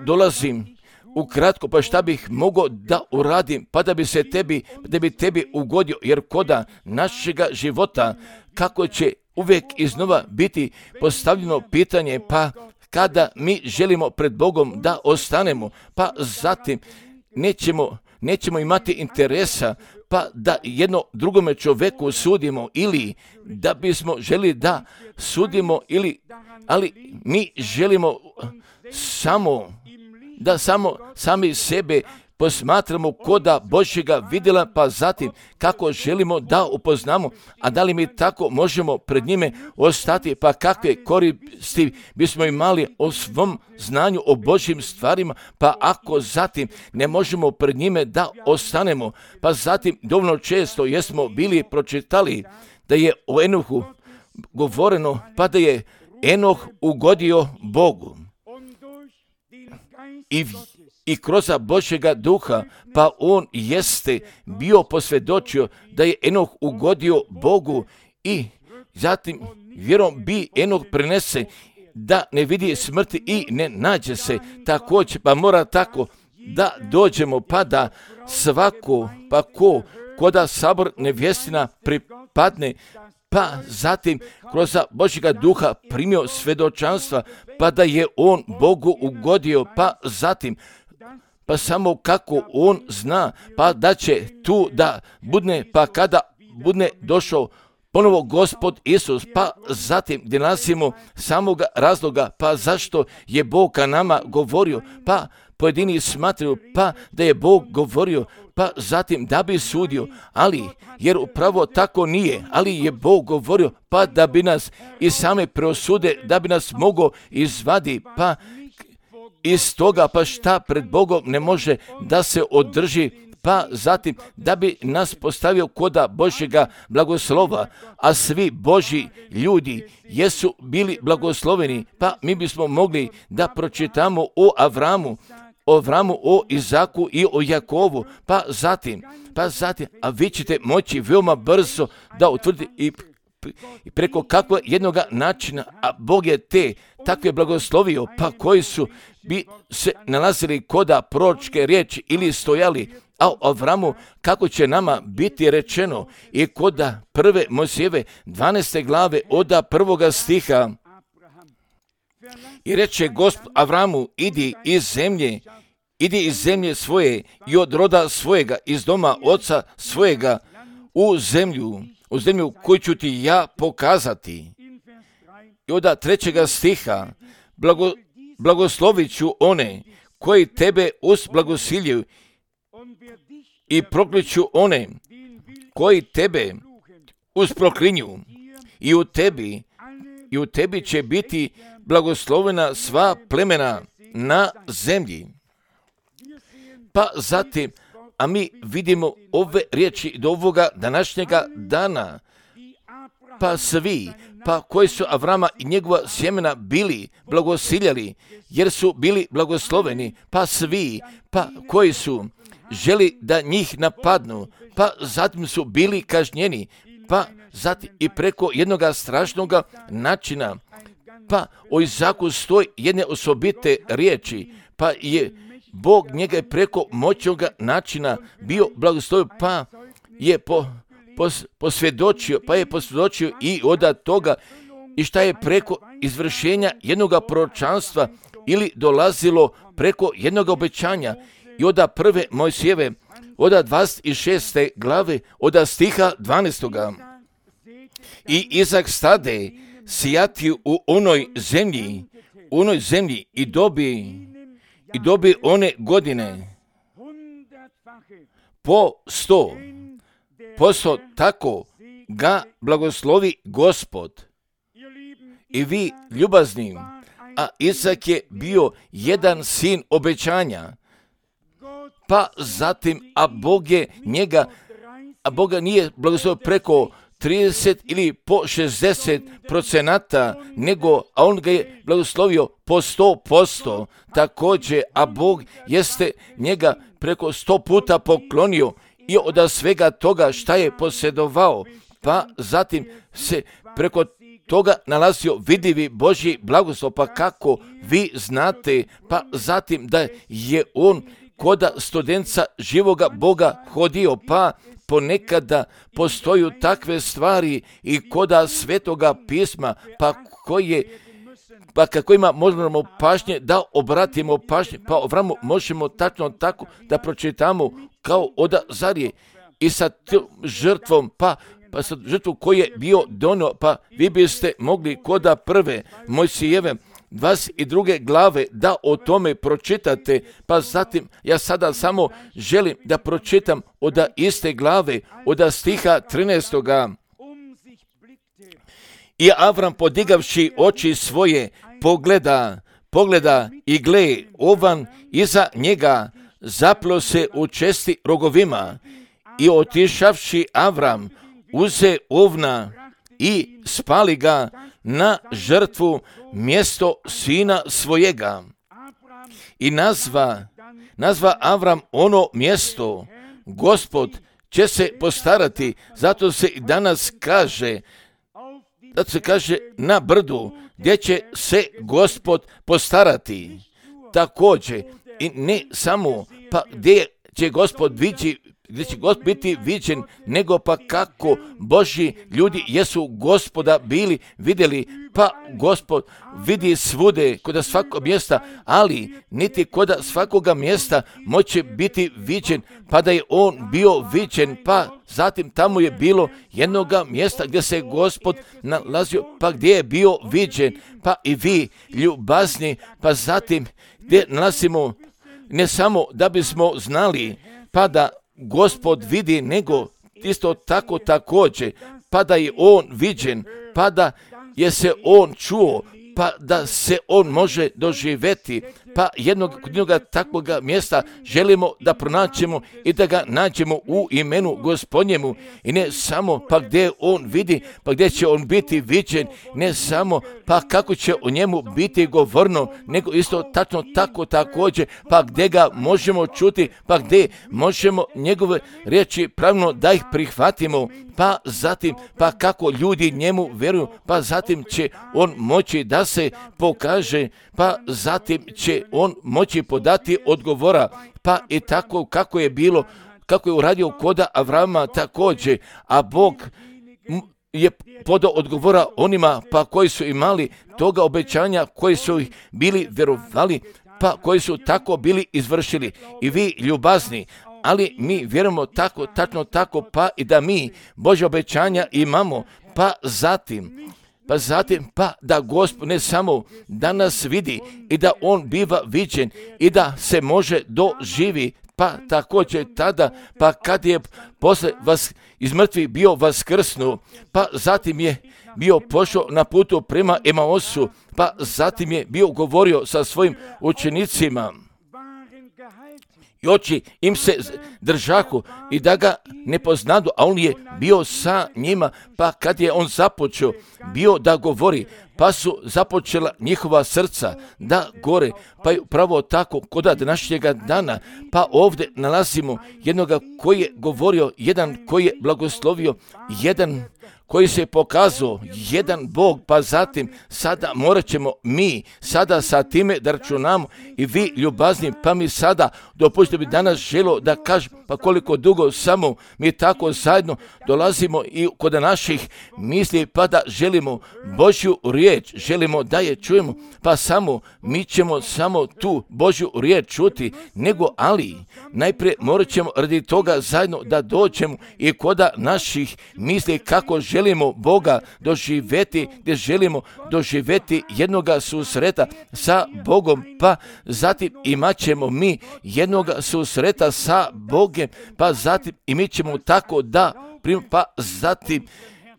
dolazim ukratko, pa šta bih mogao da uradim, pa da bi tebi ugodio, jer koda našega života, kako će uvijek iznova biti postavljeno pitanje, pa kada mi želimo pred Bogom da ostanemo, pa zatim nećemo imati interesa, pa da jedno drugome čovjeku sudimo, ili da bismo želi da sudimo, ali mi želimo sami sebe posmatramo koda Božjega vidjela, pa zatim kako želimo da upoznamo, a da li mi tako možemo pred njime ostati, pa kakve koristi bismo imali o svom znanju o Božjim stvarima, pa ako zatim ne možemo pred njime da ostanemo, pa zatim dovoljno često jesmo bili pročitali da je o Enohu govoreno, pa da je Enoh ugodio Bogu. I kroz Božjega duha, pa on jeste bio posvjedočio da je Enoh ugodio Bogu i zatim vjerom bi Enoh prenese da ne vidi smrti i ne nađe se. Također pa mora tako da dođemo, pa da svako, pa koda sabor nevjestina pripadne, pa zatim kroz Božjega duha primio svjedočanstva, pa da je on Bogu ugodio, pa zatim pa samo kako on zna, pa da će tu da budne, pa kada budne došao ponovo Gospod Isus, pa zatim gdje nalazimo samoga razloga, pa zašto je Bog ka nama govorio, pa pojedini smatraju pa da je Bog govorio, pa zatim da bi sudio, ali jer upravo tako nije, ali je Bog govorio pa da bi nas i same preosude, da bi nas mogao izvadi, pa iz toga pa šta pred Bogom ne može da se održi, pa zatim da bi nas postavio koda Božjega blagoslova, a svi Božji ljudi jesu bili blagosloveni, pa mi bismo mogli da pročitamo o Avramu, o Izaku i o Jakovu, pa zatim, a vi ćete moći veoma brzo da utvrdite i preko kakvog jednoga načina, a Bog je takve blagoslovio, pa koji su bi se nalazili koda proročke riječi ili stojali, a o Avramu kako će nama biti rečeno i koda prve Mojsijeve 12. glave od 1. stiha. I reče Gospod Avramu, idi iz zemlje svoje i od roda svojega, iz doma oca svojega, u zemlju koju ću ti ja pokazati. I od 3. stiha, blagoslovit ću one koji tebe usblagosiljaju i prokliću one koji tebe usproklinju. I u tebi će biti blagoslovena sva plemena na zemlji. Pa zatim, a mi vidimo ove riječi do ovoga današnjega dana, pa svi, pa koji su Avrama i njegova sjemena bili blagosiljali, jer su bili blagosloveni, pa svi, pa koji su želi da njih napadnu, pa zatim su bili kažnjeni, pa zatim i preko jednoga strašnog načina, pa o Izaku stoji jedne osobite riječi, pa je Bog njega je preko moćnog načina bio blagoslovio, pa je posvjedočio i od toga i šta je preko izvršenja jednog proročanstva ili dolazilo preko jednog obećanja i od prve Mojsijeve, od 26. glave, od stiha 12. I Izak stade sijati u onoj zemlji i dobi one godine po 100%, tako ga blagoslovi Gospod. I vi ljubazni, a Izak je bio jedan sin obećanja, pa zatim, a Boga nije blagoslovio preko 30 ili po 60%, nego, a on ga je blagoslovio po 100%, također, a Bog jeste njega preko 100 puta poklonio i od svega toga šta je posjedovao, pa zatim se preko toga nalazio vidivi Božji blagoslov, pa kako vi znate, pa zatim da je on koda studenca živoga Boga hodio, pa ponekada postoju takve stvari i koda svetoga pisma, pa kojima možemo pažnje da obratimo pažnje, pa Avramu možemo tačno tako da pročitamo kao od Zarije i sa žrtvom, pa sa žrtvom koji je bio donio, pa vi biste mogli koda prve Mojsijeve 22. glave da o tome pročitate, pa zatim ja sada samo želim da pročitam od iste glave, od stiha 13. I Avram podigavši oči svoje pogleda i gle, ovan iza njega zaplo se u česti rogovima i otišavši Avram uze ovna i spali ga na žrtvu mjesto sina svojega. I nazva Avram ono mjesto, Gospod će se postarati, zato se i danas kaže, na brdu, gdje će se Gospod postarati. Također, i ne samo, pa gdje će Gospod gdje će Gospod biti viđen, nego pa kako Božji ljudi jesu Gospoda bili vidjeli, pa Gospod vidi svude, kod svakog mjesta, ali niti kod svakoga mjesta moće biti viđen, pa da je on bio viđen, pa zatim tamo je bilo jednoga mjesta gdje se Gospod nalazio, pa gdje je bio viđen, pa i vi ljubazni, pa zatim gdje nalazimo ne samo da bismo znali, pa da Gospod vidi, nego isto tako također, pa da je on viđen, pa da je se on čuo, pa da se on može doživjeti, pa jednog takvog mjesta želimo da pronaćemo i da ga nađemo u imenu Gospodnjemu, i ne samo pa gdje on vidi, pa gdje će on biti viđen, ne samo pa kako će o njemu biti govorno, nego isto tačno tako također, pa gdje ga možemo čuti, pa gdje možemo njegove riječi pravilno da ih prihvatimo, pa zatim pa kako ljudi njemu vjeruju, pa zatim će on moći da se pokaže, pa zatim će on moći podati odgovora, pa i tako kako je bilo, kako je uradio kod Avrama također, a Bog je podao odgovora onima pa koji su imali toga obećanja, koji su ih bili vjerovali, pa koji su tako bili izvršili. I vi ljubazni, ali mi vjerujemo tako, tačno tako, pa i da mi Božja obećanja imamo, pa zatim da Gospod ne samo da nas vidi i da on biva viđen i da se može doživi, pa također tada, pa kad je posle vas iz mrtvih bio vaskrsnuo, pa zatim je bio pošao na putu prema Emaosu, pa zatim je bio govorio sa svojim učenicima. I oči im se držahu i da ga ne poznadu, a on je bio sa njima, pa kad je on započeo bio da govori, pa su započela njihova srca da gore, pa je pravo tako kod današnjega dana, pa ovdje nalazimo jednoga koji je govorio, jedan koji je blagoslovio, jedan koji se pokazao, jedan Bog, pa zatim sada morat ćemo mi sada sa time da računamo i vi ljubazni, pa mi sada dopustite bi danas želo da kažem, pa koliko dugo samo mi tako zajedno dolazimo i kod naših misli, pa da želimo Božju riječ, želimo da je čujemo, pa samo mi ćemo samo tu Božju riječ čuti, nego ali najprije morat ćemo radi toga zajedno da dođemo i kod naših misli kako želimo Boga doživjeti, gdje želimo doživjeti jednoga susreta sa Bogom, pa zatim imat ćemo mi jednoga susreta sa Bogom, pa zatim i mi ćemo tako da pa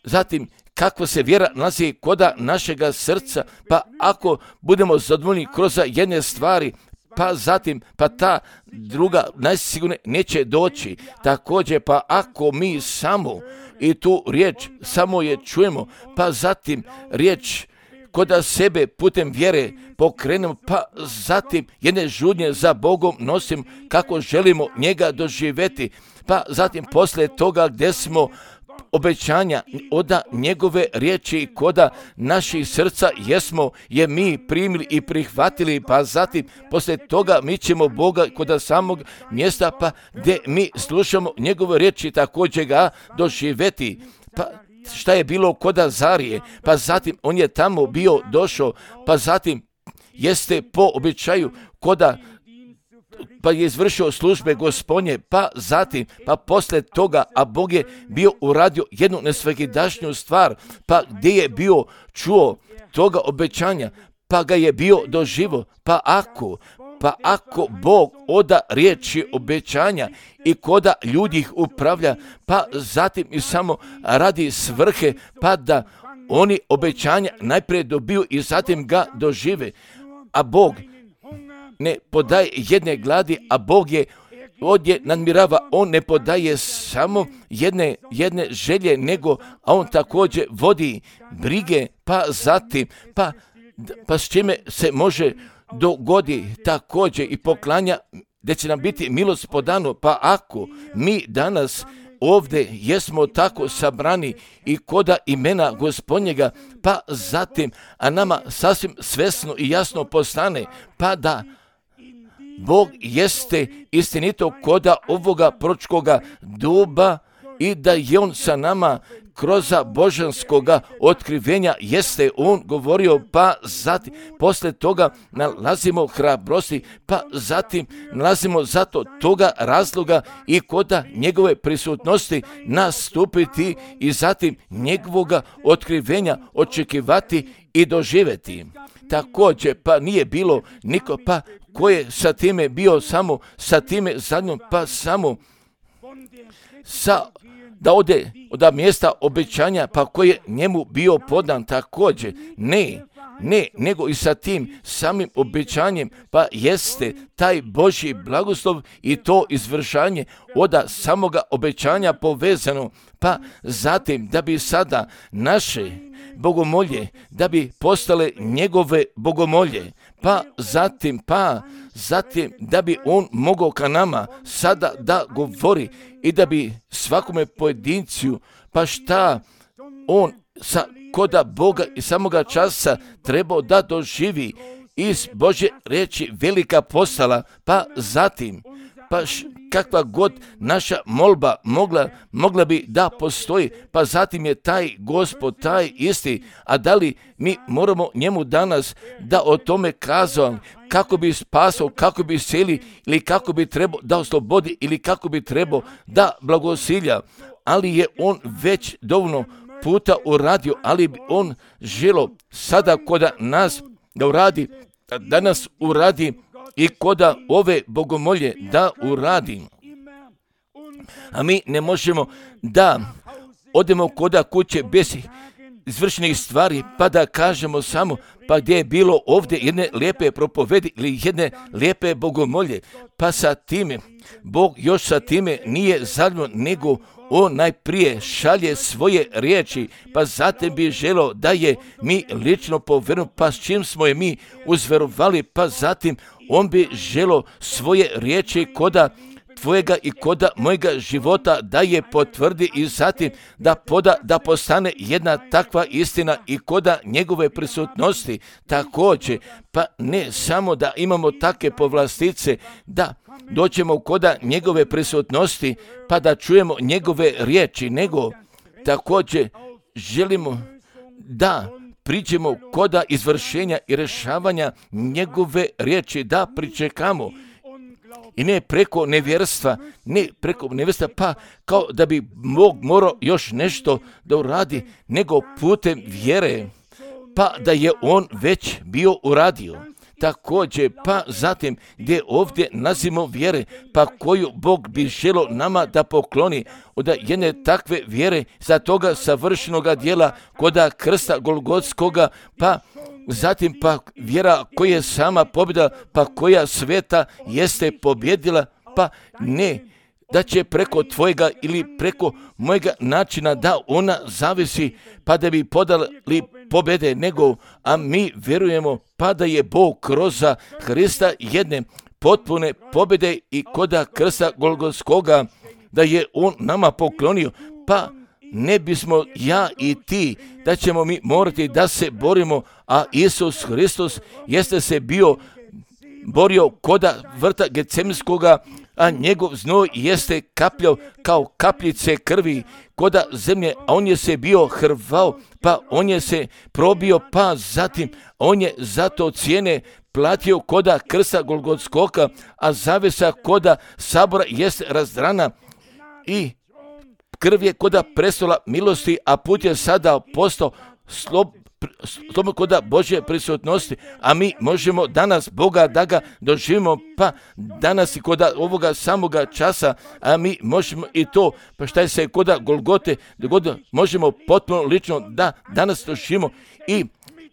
zatim kakva se vjera nalazi kod našega srca, pa ako budemo zadovoljni kroz jedne stvari, pa zatim, pa ta druga najsigurno neće doći. Također, pa ako mi samo i tu riječ samo je čujemo, pa zatim riječ kod sebe putem vjere pokrenemo, pa zatim jedne žudnje za Bogom nosim kako želimo njega doživjeti, pa zatim poslije toga gdje smo obećanja od njegove riječi koda naših srca jesmo je mi primili i prihvatili, pa zatim poslije toga mi ćemo Boga kod samog mjesta, pa gdje mi slušamo njegove riječi također ga doživjeti. Pa šta je bilo kod Azarije, pa zatim on je tamo bio došao, pa zatim jeste po običaju koda pa je izvršio službe Gospodnje, pa zatim, pa poslije toga, a Bog je bio uradio jednu nesvakidašnju stvar, pa gdje je bio čuo toga obećanja, pa ga je bio doživo, pa ako Bog oda riječi obećanja i koda ljudi ih upravlja, pa zatim i samo radi svrhe, pa da oni obećanja najprije dobiju i zatim ga dožive, a Bog ne podaje jedne gladi, a Bog je ovdje nadmirava, on ne podaje samo jedne želje, nego a on također vodi brige, pa zatim, pa s čime se može dogodi također i poklanja, gdje će nam biti milost podano, pa ako mi danas ovdje jesmo tako sabrani i koda imena Gospodnjega, pa zatim, a nama sasvim svesno i jasno postane, pa da Bog jeste istinito koda ovoga proročkoga duba i da je On sa nama kroz božanskoga otkrivenja jeste On govorio, pa zatim posle toga nalazimo hrabrosti, pa zatim nalazimo zato toga razloga i koda njegove prisutnosti nastupiti i zatim njegovoga otkrivenja očekivati i doživjeti. Također, pa nije bilo niko, pa ko je sa time bio samo sa time zadnjom, pa samo da ode od mjesta obećanja, pa koji je njemu bio podan također. Ne, nego i sa tim samim obećanjem, pa jeste taj Božji blagoslov i to izvršanje od samoga obećanja povezano, pa zatim da bi sada naše bogomolje, da bi postale njegove bogomolje, pa zatim da bi On mogao ka nama sada da govori i da bi svakome pojedincu, pa šta on koda Boga i samoga časa trebao da doživi iz Božje riječi velika postala, pa zatim, kakva god naša molba mogla bi da postoji, pa zatim je taj Gospod, taj isti, a da li mi moramo njemu danas da o tome kazao, kako bi spasao, kako bi iscelio, ili kako bi trebao da oslobodi, ili kako bi trebao da blagosilja, ali je On već dovoljno puta uradio, ali bi On želio sada koda nas da uradi, da nas uradi i koda ove bogomolje da uradi. A mi ne možemo da odemo koda kuće bez izvršenih stvari, pa da kažemo samo, pa gdje je bilo ovdje jedne lijepe propovedi ili jedne lijepe bogomolje, pa sa time, Bog još sa time nije zadovoljan, nego On najprije šalje svoje riječi, pa zatim bi želio da je mi lično povjerujemo, pa s čim smo je mi uzverovali, pa zatim On bi želio svoje riječi koda tvojega i koda mojega života da je potvrdi i zatim da postane jedna takva istina i koda njegove prisutnosti također, pa ne samo da imamo takve povlastice da doćemo koda njegove prisutnosti pa da čujemo njegove riječi, nego također želimo da priđemo koda izvršenja i rješavanja njegove riječi, da pričekamo. I ne preko nevjerstva, pa kao da bi Bog morao još nešto da uradi, nego putem vjere, pa da je On već bio uradio. Također, pa zatim gdje ovdje nazimo vjere, pa koju Bog bi želio nama da pokloni od jedne takve vjere za toga savršenoga dijela koda krsta Golgotskoga, pa zatim pa vjera koja je sama pobjeda, pa koja sveta jeste pobjedila, pa ne da će preko tvojega ili preko mojega načina da ona zavisi, pa da bi podali pobjede, nego, a mi vjerujemo pa da je Bog kroz Hrista jedne potpune pobjede i koda krsta Golgotskoga, da je On nama poklonio, pa ne bismo ja i ti, da ćemo mi morati da se borimo, a Isus Hristos jeste se borio koda vrta Getsemanskoga, a njegov znoj jeste kapljao kao kapljice krvi koda zemlje, a on je se bio hrvao, pa on je se probio, pa zatim on je zato cijene platio koda krsta Golgotskoga, a zavesa koda sabora jeste razdrana i krv je koda prestola milosti, a put je sada postao slobodno koda Božje prisutnosti, a mi možemo danas Boga da ga doživimo, pa danas i koda ovoga samoga časa, a mi možemo i to, pa šta je se koda Golgote dogodilo, možemo potpuno lično da danas doživimo i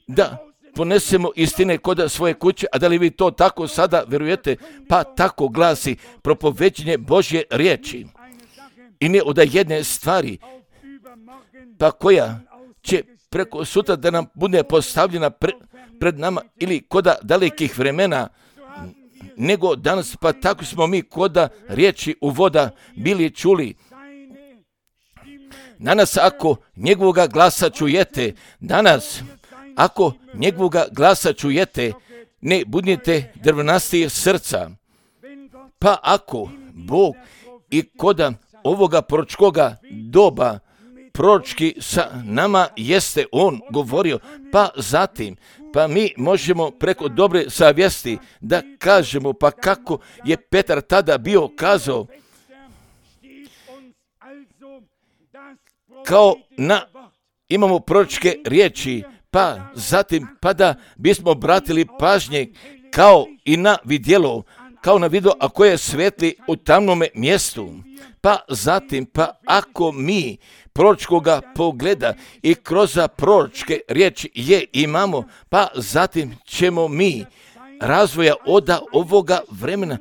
da ponesemo istine koda svoje kuće. A da li vi to tako sada vjerujete? Pa tako glasi propoveđenje Božje riječi. I ne od jedne stvari, pa koja će preko sutra da nam bude postavljena pred nama ili koda dalekih vremena, nego danas, pa tako smo mi koda riječi u voda bili čuli. Danas ako njegovoga glasa čujete, ne budite drvnastih srca, Pa ako Bog i koda ovoga proročkoga doba proročki sa nama jeste on govorio, pa zatim, pa mi možemo preko dobre savjesti da kažemo, pa kako je Petar tada bio kazao, kao imamo proročke riječi, pa zatim, pa da bismo obratili pažnje kao i na vidjelo, kao na video, a koje svetli u tamnome mjestu. Pa zatim, pa ako mi proročkoga pogleda i kroz proročke riječi je imamo, pa zatim ćemo mi razvoja od ovoga vremena,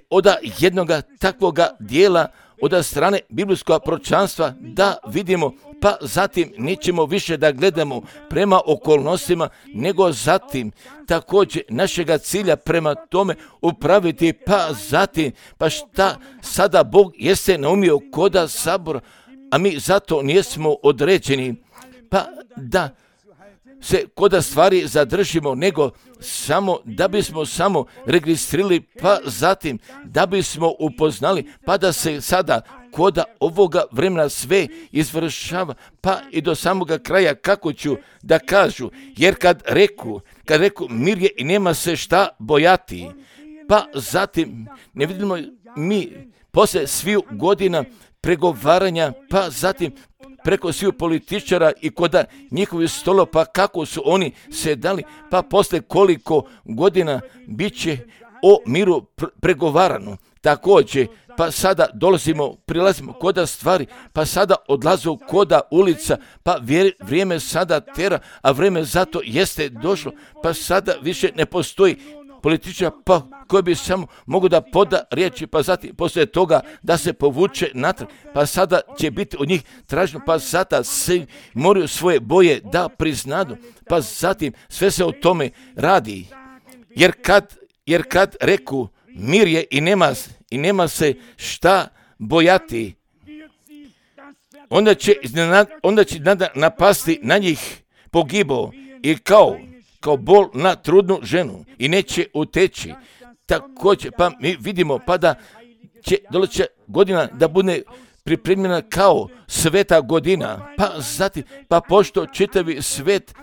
od jednoga takvoga dijela, od strane biblijskog proročanstva da vidimo, pa zatim nećemo više da gledamo prema okolnostima, nego zatim također našega cilja prema tome upraviti, pa zatim, pa šta sada Bog jeste naumio koda sabora, a mi zato nismo određeni, pa da se koda stvari zadržimo, nego samo da bismo samo registrirali, pa zatim da bismo upoznali, pa da se sada koda ovoga vremena sve izvršava, pa i do samoga kraja, kako ću da kažu, jer kad reku mir je i nema se šta bojati, pa zatim ne vidimo mi poslije sviju godina pregovaranja, pa zatim preko sviju političara i koda njihovi stolo, pa kako su oni se dali, pa poslije koliko godina bit će o miru pregovarano. Također, pa sada prilazimo koda stvari, pa sada odlazu koda ulica, pa vrijeme sada tera, a vrijeme zato jeste došlo, pa sada više ne postoji političar, pa koji bi samo mogu da poda riječi, pa zatim poslije toga da se povuče natrag, pa sada će biti od njih traženo, pa sada se moraju svoje boje da priznadu, pa zatim sve se o tome radi, jer kad reku mir je i nema se šta bojati, onda će napasti na njih pogibo i kao bol na trudnu ženu i neće uteći. Također, pa mi vidimo pa da će doleće godina da bude pripremljena kao sveta godina, pa zatim, pa pošto čitavi svet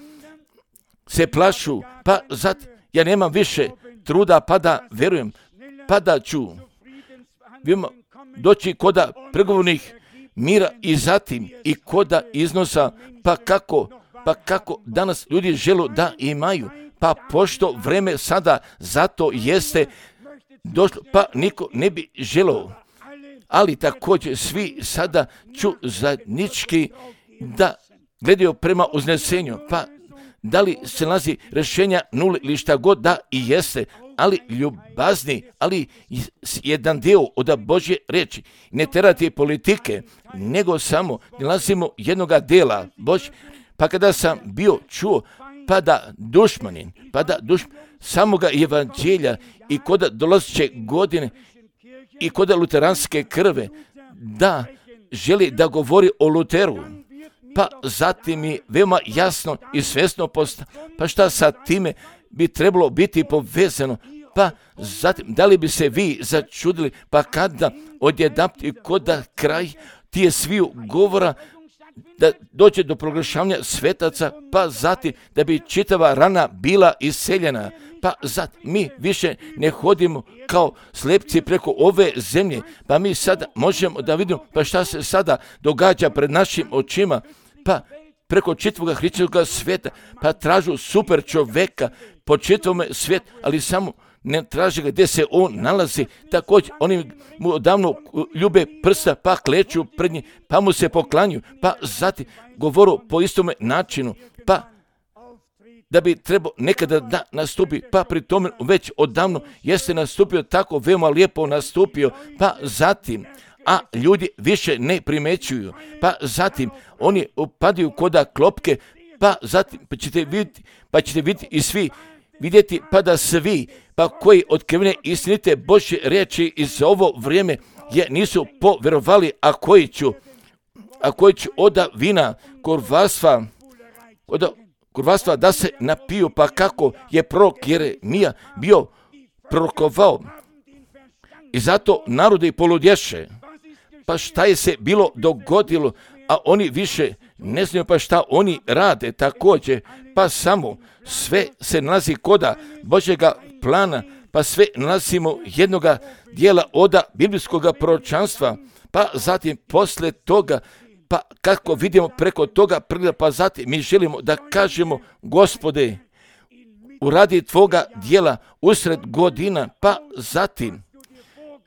se plašu, pa zatim ja nemam više truda, pa da verujem, pa da ću doći koda pregovornih mira i zatim i koda iznosa, pa kako danas ljudi žele da imaju, pa pošto vreme sada zato jeste došlo, pa niko ne bi želeo, ali također svi sada ću zajednički da gledaju prema uznesenju, pa da li se nalazi rješenja nule ili šta god da i jeste, ali ljubazni, ali jedan dio od Božje riječi, ne terati politike, nego samo nalazimo jednoga dela Božje. Pa kada sam bio čuo, pa da dušmanin samoga evanđelja i koda dolazeće godine i koda luteranske krve, da želi da govori o Luteru, pa zatim je veoma jasno i svjesno pa šta sa time bi trebalo biti povezano, pa zatim da li bi se vi začudili, pa kada odjedanput i koda kraj tije sviju govora, da dođe do proglašavanja svetaca, pa zatim da bi čitava rana bila iseljena, pa zatim mi više ne hodimo kao slepci preko ove zemlje, pa mi sada možemo da vidimo pa šta se sada događa pred našim očima, pa preko čitavoga hrišćanskog svijeta, pa tražu super čoveka po čitavome svijetu, ali samo ne traže ga gdje se on nalazi. Također oni mu odavno ljube prsta, pa kleću pred njim, pa mu se poklanju, pa zatim govoru po istome načinu, pa da bi trebao nekada da nastupi, pa pri tome već odavno jeste nastupio tako veoma lijepo nastupio, pa zatim a ljudi više ne primećuju, pa zatim oni upadaju koda klopke, pa zatim pa ćete vidjeti i svi vidjeti, pa da svi, pa koji otkrivene istinite Božje riječi iz ovo vrijeme nisu povjerovali, a koji ću od vina kurvarstva da se napiju, pa kako je prorok Jeremija bio prorokovao, I zato narodi poludješe. Pa šta je se bilo dogodilo, a oni više ne znaju pa šta oni rade također. Pa samo sve se nalazi koda Božjega plana, pa sve nalazimo jednoga dijela oda biblijskoga proročanstva, pa zatim posle toga, pa kako vidimo preko toga, pa zatim mi želimo da kažemo, Gospode, uradi tvoga dijela usred godina, pa zatim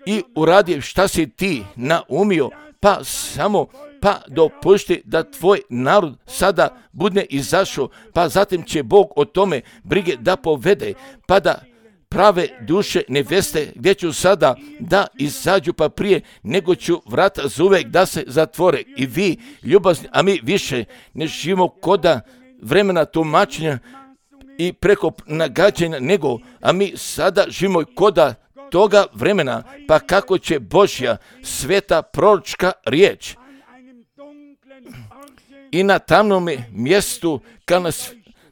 i uradi šta si ti naumio, pa samo pa dopušti da tvoj narod sada bude izašao, pa zatim će Bog o tome brige da povede, pa da prave duše neveste gdje ću sada da izađu, pa prije nego ću vrata zauvek da se zatvore. I vi ljubazni, a mi više ne živimo koda vremena tumačenja i preko nagađanja nego, a mi sada živimo koda toga vremena, pa kako će Božja sveta proročka riječ i na tamnome mjestu, kao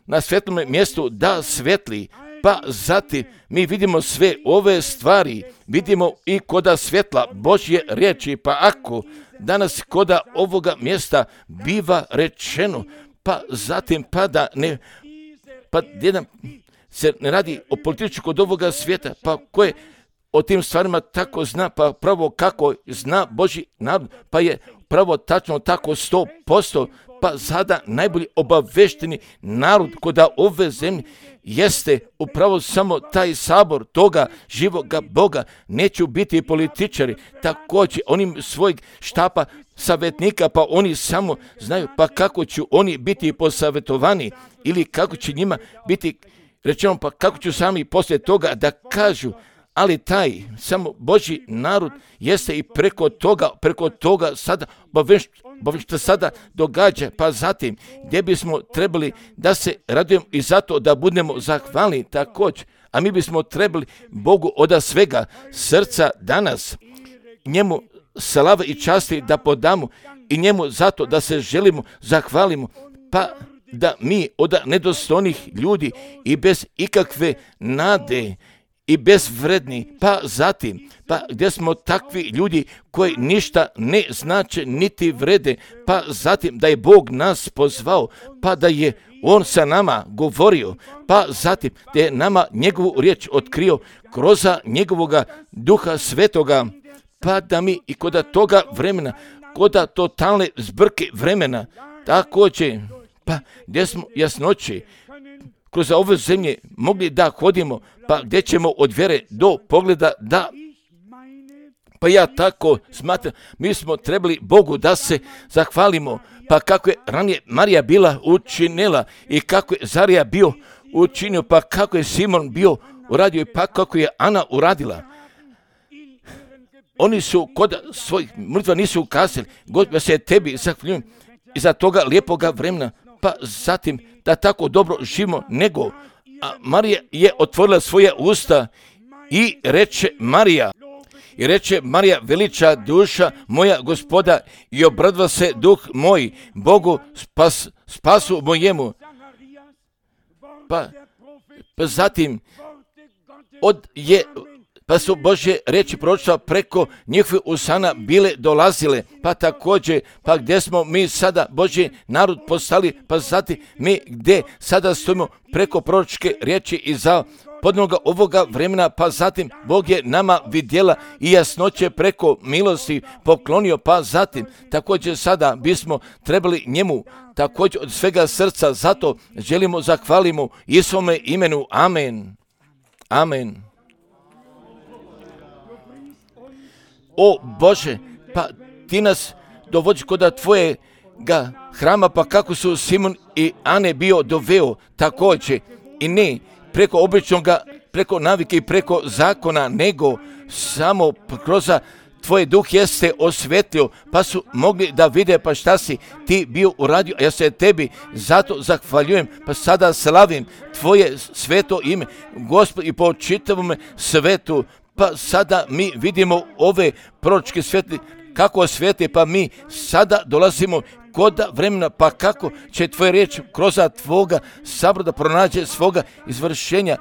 na svetlome mjestu da svetli, pa zatim mi vidimo sve ove stvari, vidimo i koda svjetla Božje riječi, pa ako danas koda ovoga mjesta biva rečeno, pa zatim pa jedan se ne radi o političku kod ovoga svijeta, pa koje o tim stvarima tako zna, pa pravo kako zna Božji narod, pa je pravo tačno tako 100%, pa sada najbolji obavešteni narod koda ove zemlje jeste upravo samo taj sabor toga živoga Boga. Neću biti političari, također onim svojeg štapa savjetnika, pa oni samo znaju pa kako će oni biti posavjetovani ili kako će njima biti rečeno, pa kako ću sami poslije toga da kažu. Ali taj samo Božji narod jeste i preko toga sada što sada događa, pa zatim gdje bismo trebali da se radujemo i zato da budemo zahvalni također, a mi bismo trebali Bogu od svega srca danas njemu slave i časti da podamo i njemu zato da se želimo zahvalimo, pa da mi od nedostojnih ljudi i bez ikakve nade i bezvredni, pa zatim, pa gdje smo takvi ljudi koji ništa ne znače niti vrede, pa zatim da je Bog nas pozvao, pa da je On sa nama govorio, pa zatim da je nama njegovu riječ otkrio kroz njegovoga Duha Svetoga, pa da mi i koda toga vremena, koda totalne zbrke vremena, također, pa gdje smo jasnoći, kroz ove zemlje mogli da hodimo, pa gdje ćemo od vjere do pogleda da, pa ja tako smatram, mi smo trebali Bogu da se zahvalimo, pa kako je ranije Marija bila učinila i kako je Zarija bio učinio, pa kako je Simon bio uradio i pa kako je Ana uradila. Oni su kod svojih mrtva nisu ukazali, Gospod se tebi zahvaljujem iza toga lijepoga vremena, pa zatim da tako dobro živimo, nego a Marija je otvorila svoje usta i reče Marija, veliča duša moja Gospoda i obradva se duh moj Bogu spasu mojemu. Pa zatim pa su Božje riječi proročstva preko njihovih usana bile dolazile, pa također, pa gdje smo mi sada Božji narod postali, pa zatim mi gdje sada stojimo preko proročke riječi i za podnoga ovoga vremena, pa zatim Bog je nama vidjela i jasnoće preko milosti poklonio, pa zatim također sada bismo trebali njemu također od svega srca, zato želimo zahvalimo Isovome imenu. Amen. Amen. O Bože, pa ti nas dovodiš kod tvojega hrama, pa kako su Simon i Ane bio doveo također i ne preko običnoga, preko navike i preko zakona, nego samo kroz tvoj duh jeste osvetlio, pa su mogli da vide pa šta si ti bio uradio, a ja se tebi zato zahvaljujem, pa sada slavim tvoje sveto ime, Gospod, i po čitavom svetu. Pa sada mi vidimo ove proročke svetli, kako svete, pa mi sada dolazimo kod vremena, pa kako će tvoja riječ kroz tvoga sabora pronađe svoga izvršenja.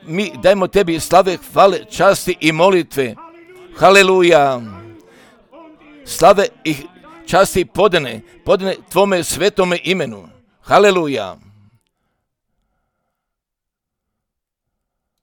Mi dajmo tebi slave, hvale, časti i molitve. Haleluja. Slave i časti podane Tvome svetome imenu. Haleluja.